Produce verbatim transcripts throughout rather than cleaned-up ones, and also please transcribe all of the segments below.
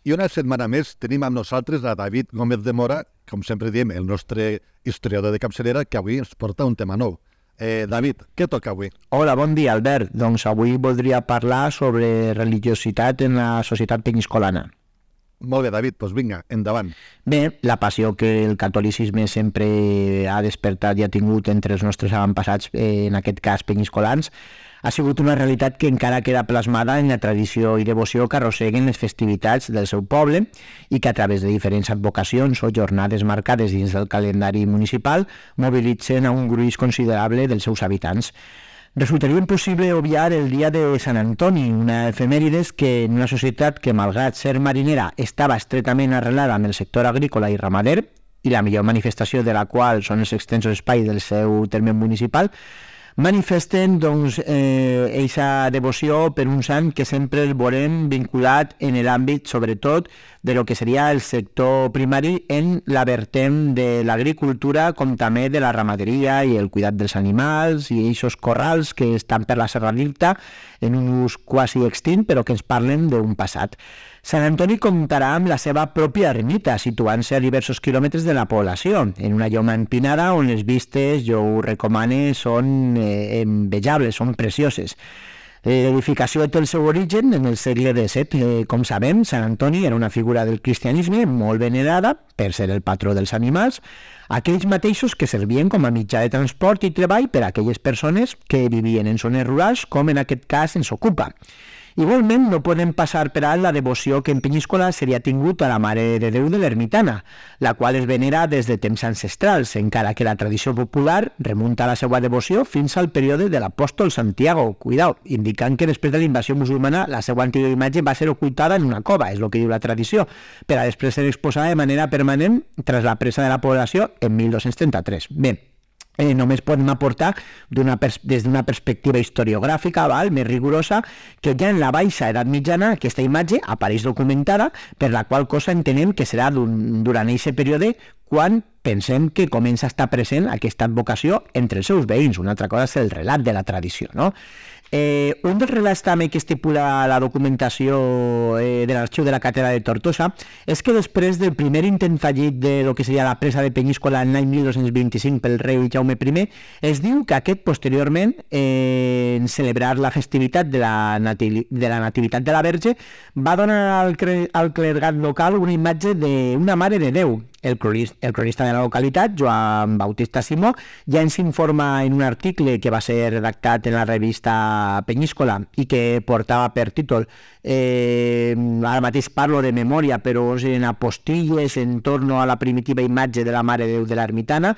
I una setmana més tenim amb nosaltres a David Gómez de Mora, com sempre diem, el nostre historiador de capçalera, que avui ens porta un tema nou. Eh, David, què toca avui? Hola, bon dia, Albert. Doncs avui voldria parlar sobre religiositat en la societat penyiscolana. Molt bé, David, doncs vinga, endavant. Bé, la passió que el catolicisme sempre ha despertat i ha tingut entre els nostres avantpassats, eh, en aquest cas penyiscolans, ha sigut una realitat que encara queda plasmada en la tradició i devoció que arrosseguen les festivitats del seu poble i que a través de diferents advocacions o jornades marcades dins del calendari municipal mobilitzen a un gruix considerable dels seus habitants. Resultaria impossible obviar el dia de Sant Antoni, una efemèrides que en una societat que, malgrat ser marinera, estava estretament arrelada amb el sector agrícola i ramader, i la millor manifestació de la qual són els extensos espais del seu terme municipal, manifesten doncs eh, eixa devoció per un sant que sempre el veurem vinculat en l'àmbit, sobretot, de lo que seria el sector primari en la vertent de l'agricultura com també de la ramaderia i el cuidat dels animals i eixos corrals que estan per la Serra d'Irta en un ús quasi extint però que ens parlen d'un passat. Sant Antoni comptarà amb la seva pròpia ermita, situant-se a diversos quilòmetres de la població, en una lloma empinada on les vistes, jo ho recomane, són eh, envejables, són precioses. L'edificació té el seu origen en el segle disset. Eh, com sabem, Sant Antoni era una figura del cristianisme molt venerada per ser el patró dels animals, aquells mateixos que servien com a mitjà de transport i treball per a aquelles persones que vivien en zones rurals, com en aquest cas ens ocupa. Igualment, no podem passar per alt la devoció que en Penyíscola seria tingut a la Mare de Déu de l'Ermitana, la qual es venera des de temps ancestrals, encara que la tradició popular remunta la seva devoció fins al període de l'apòstol Santiago, cuidao, indicant que després de la invasió musulmana la seva antiga imatge va ser ocultada en una cova, és el que diu la tradició, per a després ser exposada de manera permanent tras la presa de la població en mil dos-cents trenta-tres. Bé, Eh, només podem aportar pers- des d'una perspectiva historiogràfica val, més rigorosa que ja en la baixa edat mitjana aquesta imatge apareix documentada, per la qual cosa entenem que serà durant aquest període quan pensem que comença a estar present aquesta advocació entre els seus veïns. Una altra cosa és el relat de la tradició, no? Eh, un dels relats també que estipula la documentació eh, de l'arxiu de la Catedral de Tortosa és que després del primer intent fallit de lo que seria la presa de Penyíscola en l'any mil dos-cents vint-i-cinc pel rei Jaume primer, es diu que aquest posteriorment, eh, en celebrar la festivitat de la, nati- de la Nativitat de la Verge, va donar al, cre- al clergat local una imatge d'una Mare de Déu. El cronista, el cronista de la localitat, Joan Bautista Simó, ja ens informa en un article que va ser redactat en la revista Penyíscola i que portava per títol, eh, ara mateix parlo de memòria, però en apostilles en torno a la primitiva imatge de la Mare de Déu de l'Ermitana,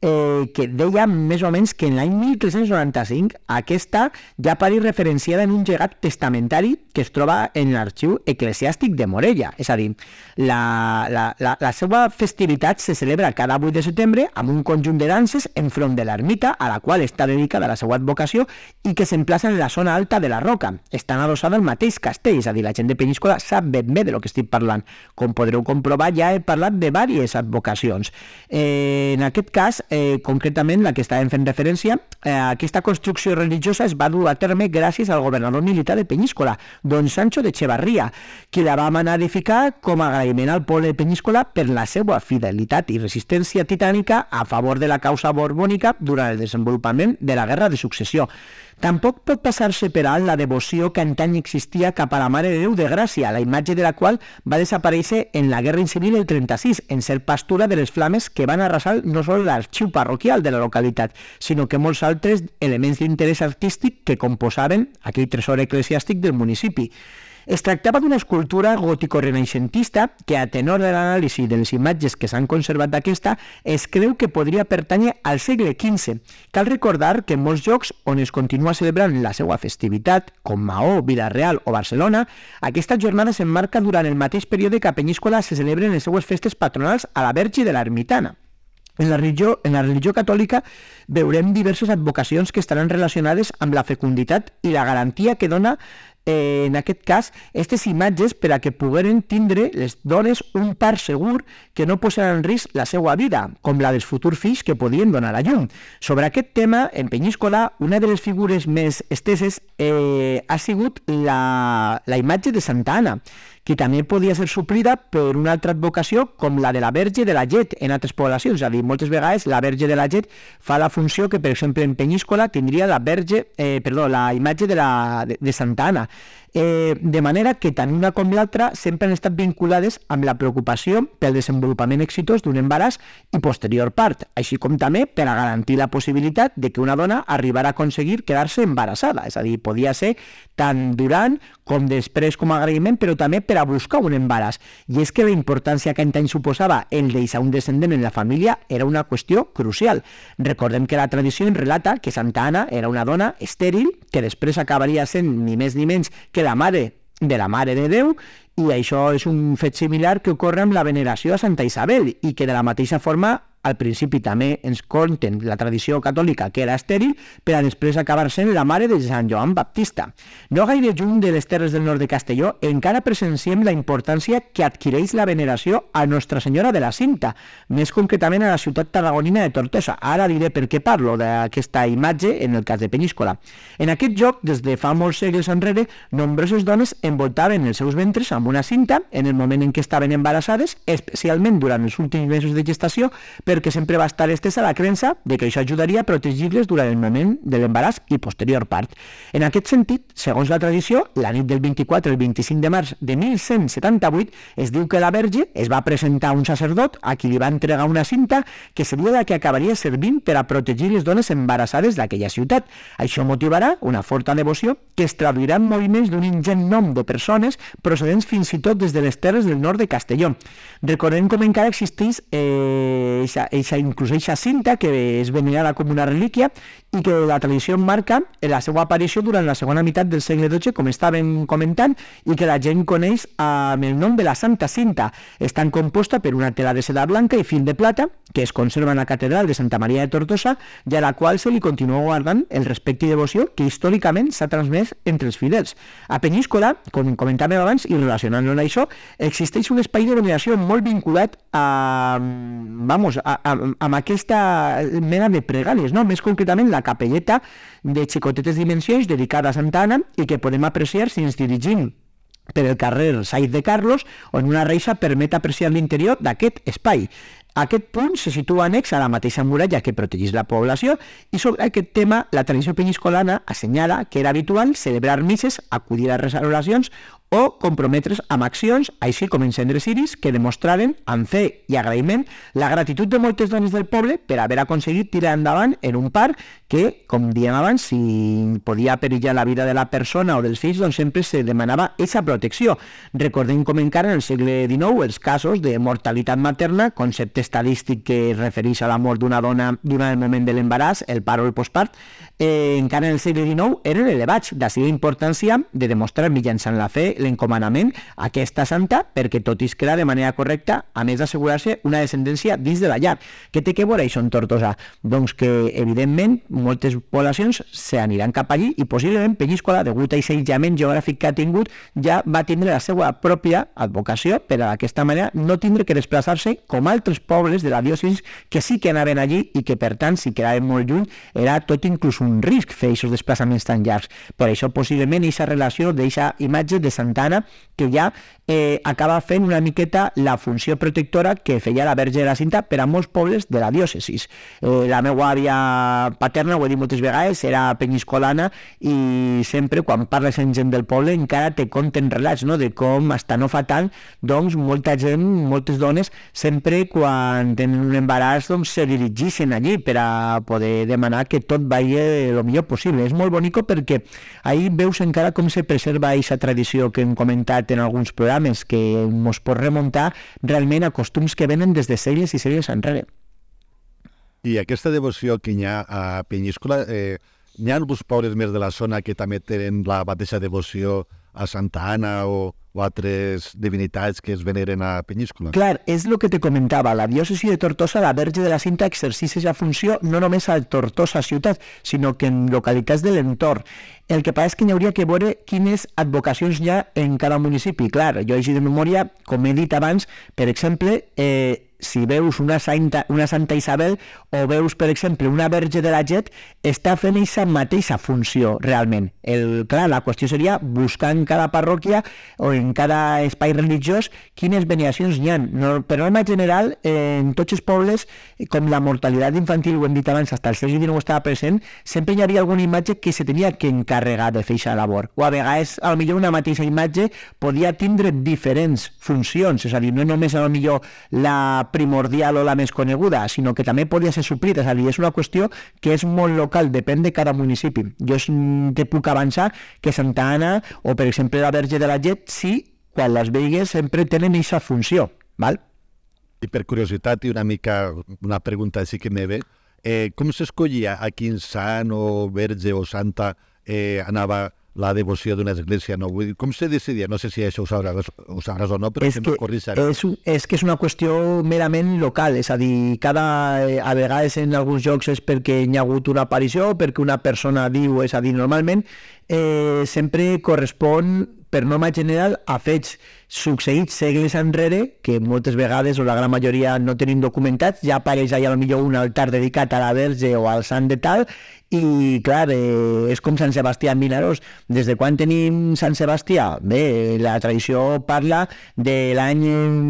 eh, que deia més o menys que en l'any mil tres-cents noranta-cinc aquesta ja apareix referenciada en un llegat testamentari que es troba en l'arxiu eclesiàstic de Morella. És a dir, la, la, la, la seva festivitat se celebra cada vuit de setembre amb un conjunt de danses enfront de l'ermita a la qual està dedicada la seva advocació i que s'emplaça en la zona alta de la roca. Estan adossada al mateix castell, és a dir, la gent de Penyíscola sap ben bé de lo que estic parlant. Com podreu comprovar, ja he parlat de diverses advocacions. Eh, en aquest cas, Eh, concretament la que estàvem fent referència, eh, aquesta construcció religiosa es va dur a terme gràcies al governador militar de Penyíscola, don Sancho de Echevarría, qui la va manar edificar com a agraïment al poble de Penyíscola per la seva fidelitat i resistència titànica a favor de la causa borbònica durant el desenvolupament de la Guerra de Successió. Tampoc pot passar-se per alt la devoció que antany existia cap a la Mare de Déu de Gràcia, la imatge de la qual va desaparèixer en la Guerra Civil del trenta-sis, en ser pastura de les flames que van arrasar no sols l'arxiu parroquial de la localitat, sinó que molts altres elements d'interès artístic que composaven aquell tresor eclesiàstic del municipi. Es tractava d'una escultura gòtico-renaixentista que, a tenor de l'anàlisi de les imatges que s'han conservat d'aquesta, es creu que podria pertànyer al segle quinze. Cal recordar que en molts llocs on es continua celebrant la seva festivitat, com Maó, Vila-real o Barcelona, aquesta jornada s'emmarca durant el mateix període que a Penyíscola se celebren les seues festes patronals a la Verge de l'Ermitana. En la religió, en la religió catòlica veurem diverses advocacions que estaran relacionades amb la fecunditat i la garantia que dona, eh, en aquest cas, aquestes imatges per a que pogueren tindre les dones un part segur que no posaran en risc la seva vida, com la dels futurs fills que podien donar a llum. Sobre aquest tema, en Penyíscola, una de les figures més esteses eh, ha sigut la, la imatge de Santa Anna, que també podia ser suplida per una altra advocació com la de la Verge de la Llet en altres poblacions. És a dir, moltes vegades la Verge de la Llet fa la funció que, per exemple, en Penyíscola tindria la Verge, eh, perdó, la imatge de, la, de, de Santa Anna. Eh, de manera que tant una com l'altra sempre han estat vinculades amb la preocupació pel desenvolupament exitós d'un embaràs i posterior part, així com també per a garantir la possibilitat de que una dona arribara a aconseguir quedar-se embarassada, és a dir, podia ser tant durant com després com a agraïment, però també per a buscar un embaràs. I és que la importància que antany suposava el deixar un descendent en la família era una qüestió crucial. Recordem que la tradició en relata que Santa Anna era una dona estèril que després acabaria sent ni més ni menys que la mare de la Mare de Déu, i això és un fet similar que ocorre amb la veneració a Santa Isabel, i que de la mateixa forma al principi també ens conten la tradició catòlica que era estèril, per a després acabar sent la mare de Sant Joan Baptista. No gaire lluny de les terres del nord de Castelló, encara presenciem la importància que adquireix la veneració a Nostra Senyora de la Cinta, més concretament a la ciutat tarragonina de Tortosa. Ara diré per què parlo d'aquesta imatge en el cas de Penyíscola. En aquest lloc, des de fa molts segles enrere, nombroses dones envoltaven els seus ventres amb una cinta en el moment en què estaven embarassades, especialment durant els últims mesos de gestació, perquè sempre va estar estesa la creença de que això ajudaria a protegir-les durant el moment de l'embaràs i posterior part. En aquest sentit, segons la tradició, la nit del vint-i-quatre al vint-i-cinc de març de mil cent setanta-vuit es diu que la Verge es va presentar a un sacerdot a qui li va entregar una cinta que seria la que acabaria servint per a protegir les dones embarassades d'aquella ciutat. Això motivarà una forta devoció que es traduirà en moviments d'un ingent nom de persones procedents fins i tot des de les terres del nord de Castelló. Recordem com encara existeix eh, eixa, inclús eixa cinta que és venerada com una relíquia i que la tradició marca la seva aparició durant la segona meitat del segle dotze, com estàvem comentant, i que la gent coneix amb el nom de la Santa Cinta. Està composta per una tela de seda blanca i fil de plata que es conserva en la catedral de Santa Maria de Tortosa i a la qual se li continua guardant el respecte i devoció que històricament s'ha transmès entre els fidels. A Penyíscola, com comentàvem abans, i relacionant-lo amb això, existeix un espai de veneració molt vinculat a, vamos, a, a, amb aquesta mena de pregàries, no? Més concretament la capelleta de xicotetes dimensions dedicada a Santa Anna i que podem apreciar si ens dirigim per el carrer Saiz de Carlos, on una reixa permet apreciar l'interior d'aquest espai. Aquest punt se situa annex a la mateixa muralla que protegeix la població i sobre aquest tema la tradició penyiscolana assenyala que era habitual celebrar misses, acudir a les oracions o comprometre's amb accions, així com encendre ciris, que demostraren, amb fe i agraïment, la gratitud de moltes dones del poble per haver aconseguit tirar endavant en un parc que, com diem abans, si podia perillar la vida de la persona o dels fills, doncs sempre se demanava aquesta protecció. Recordem com encara en el segle dinou els casos de mortalitat materna, concepte estadístic que es refereix a la mort d'una dona durant el moment de l'embaràs, el part o el postpart, eh, encara en el segle dinou eren elevats, d'ací la importància de demostrar mitjançant la fe l'encomanament a aquesta santa perquè tot es queda de manera correcta, a més d'assegurar-se una descendència dins de la llar. Què té que veure això en Tortosa? Doncs que, evidentment, moltes poblacions s'aniran cap allí i possiblement Penyíscola, degut a aquest aïllament geogràfic que ha tingut, ja va tindre la seva pròpia advocació per a d'aquesta manera no tindre que desplaçar-se com altres pobles de la diòcesis que sí que anaven allí i que, per tant, si quedaven molt lluny, era tot inclús un risc fer aquests desplaçaments tan llargs. Per això, possiblement, aquesta relació d'aquesta imatge de Santa Anna que ja eh, acaba fent una miqueta la funció protectora que feia la Verge de la Cinta per a molts pobles de la diòcesis. Eh, la meva àvia paterna, ho he dit moltes vegades, era penyiscolana i sempre quan parles amb gent del poble encara te conten relats, no?, de com hasta no fa tant, doncs molta gent, moltes dones, sempre quan tenen un embaràs doncs se dirigeixen allí per a poder demanar que tot vagi el millor possible. És molt bonic perquè ahí veus encara com se preserva aquesta tradició que hem comentat en alguns programes, que ens pot remuntar realment a costums que venen des de segles i segles enrere. I aquesta devoció que hi ha a Penyíscola, eh, hi ha alguns pobles més de la zona que també tenen la mateixa devoció a Santa Anna o, o altres divinitats que es veneren a Penyíscola? Clar, és el que te comentava. La diòcesi de Tortosa, la Verge de la Cinta, exerceix la funció no només a Tortosa ciutat, sinó que en localitats de l'entorn. El que passa és que hi hauria que veure quines advocacions hi ha en cada municipi. Clar, jo he de memòria, com he dit abans, per exemple, eh, si veus una Santa, una Santa Isabel o veus, per exemple, una Verge de la Llet, està fent aquesta mateixa funció realment. El, clar, la qüestió seria buscar en cada parròquia o en cada espai religiós quines veneracions n'hi ha. No, per norma general, eh, en tots els pobles, com la mortalitat infantil, ho hem dit abans, fins al segle dinou estava present, sempre hi havia alguna imatge que se tenia que encarregar de fer aquesta labor. O a vegades, a lo millor una mateixa imatge podia tindre diferents funcions, és a dir, no només a lo millor la primordial o la més coneguda, sinó que també podia ser suplida, és a dir, és una qüestió que és molt local, depèn de cada municipi. Jo te puc avançar que Santa Anna o, per exemple, la Verge de la Llet, sí, quan les veigues sempre tenen aquesta funció, val? I per curiositat i una mica una pregunta així que me ve, eh, com s'escollia a quin sant o verge o santa eh, anava la devoció d'una església? No? Vull dir, com se decidia? No sé si això ho sabràs, ho sabràs o no, però és que que, és, és que és una qüestió merament local, és a dir, cada, a vegades en alguns jocs és perquè hi ha hagut una aparició, perquè una persona diu, és a dir, normalment eh, sempre correspon per norma general a fets succeïts segles enrere, que moltes vegades o la gran majoria no tenim documentats, ja apareix allà potser un altar dedicat a la Verge o al sant de tal, i clar, eh, és com Sant Sebastià en Vinaròs. Des de quan tenim Sant Sebastià? Bé, la tradició parla de l'any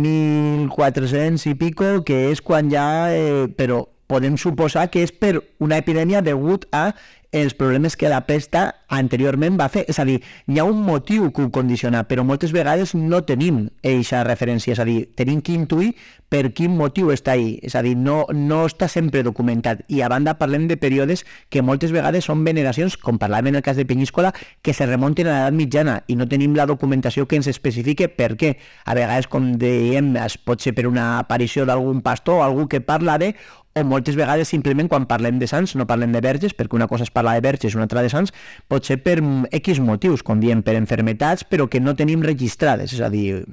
mil quatre-cents i pico, que és quan ja, eh, però podem suposar que és per una epidèmia degut a els problemes que la pesta anteriorment va fer. És a dir, hi ha un motiu que ho condiciona, però moltes vegades no tenim eixa referència, és a dir, tenim que intuir per quin motiu està ahí, és a dir, no, no està sempre documentat. I a banda parlem de períodes que moltes vegades són veneracions, com parlàvem en el cas de Penyíscola, que se remunten a l'edat mitjana i no tenim la documentació que ens especifique per què. A vegades, com dèiem, es pot ser per una aparició d'algun pastor o algú que parla de, o moltes vegades simplement quan parlem de sants no parlem de verges, perquè una cosa és parlar de verges i una altra de sants, pot ser per X motius, com diem, per enfermetats, però que no tenim registrades. És a dir,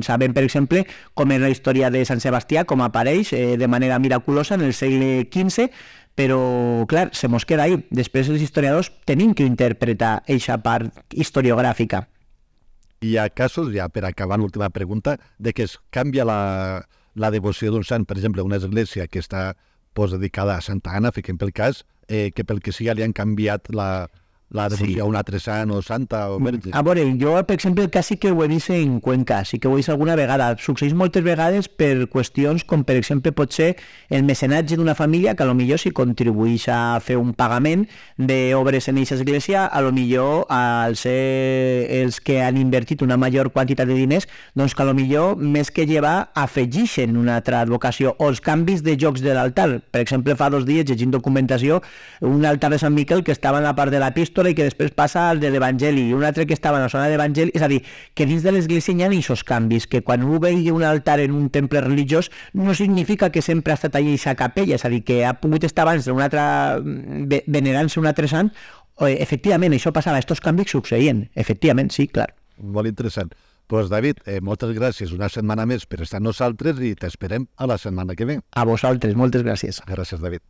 sabem, per exemple, com és la història de Sant Sebastià, com apareix eh, de manera miraculosa en el segle quinze, però, clar, se mos queda ahí. Després els historiadors tenim que interpretar eixa part historiogràfica. Hi ha casos, ja per acabar l'última pregunta, de que es canvia la, la devoció d'un sant, per exemple, una església que està pues, dedicada a Santa Anna, fiquem pel cas, eh, que pel que sigui li han canviat la, la devoció sí. a un altre sant o santa o verge. A veure, jo, per exemple, el cas sí que ho he vist en Cuenca, sí que ho he vist alguna vegada. Succeeix moltes vegades per qüestions com, per exemple, pot ser el mecenatge d'una família que a lo millor si contribueix a fer un pagament d'obres en aquesta església, a lo millor al ser els que han invertit una major quantitat de diners, doncs que a lo millor més que llevar afegeixen una altra advocació o els canvis de jocs de l'altar. Per exemple, fa dos dies, llegint documentació, un altar de Sant Miquel que estava en la part de l'epístola i que després passa al de l'Evangeli i un altre que estava en la zona de l'Evangeli, és a dir, que dins de l'església hi ha aquests canvis, que quan un vegi un altar en un temple religiós no significa que sempre ha estat allà aquesta capella, és a dir, que ha pogut estar abans d'un altre, venerant-se un altre sant, efectivament, això passava, aquests canvis succeïen, efectivament, sí, clar. Molt interessant. Doncs pues, David, eh, moltes gràcies una setmana més per estar amb nosaltres i t'esperem a la setmana que ve. A vosaltres, moltes gràcies. Gràcies, David.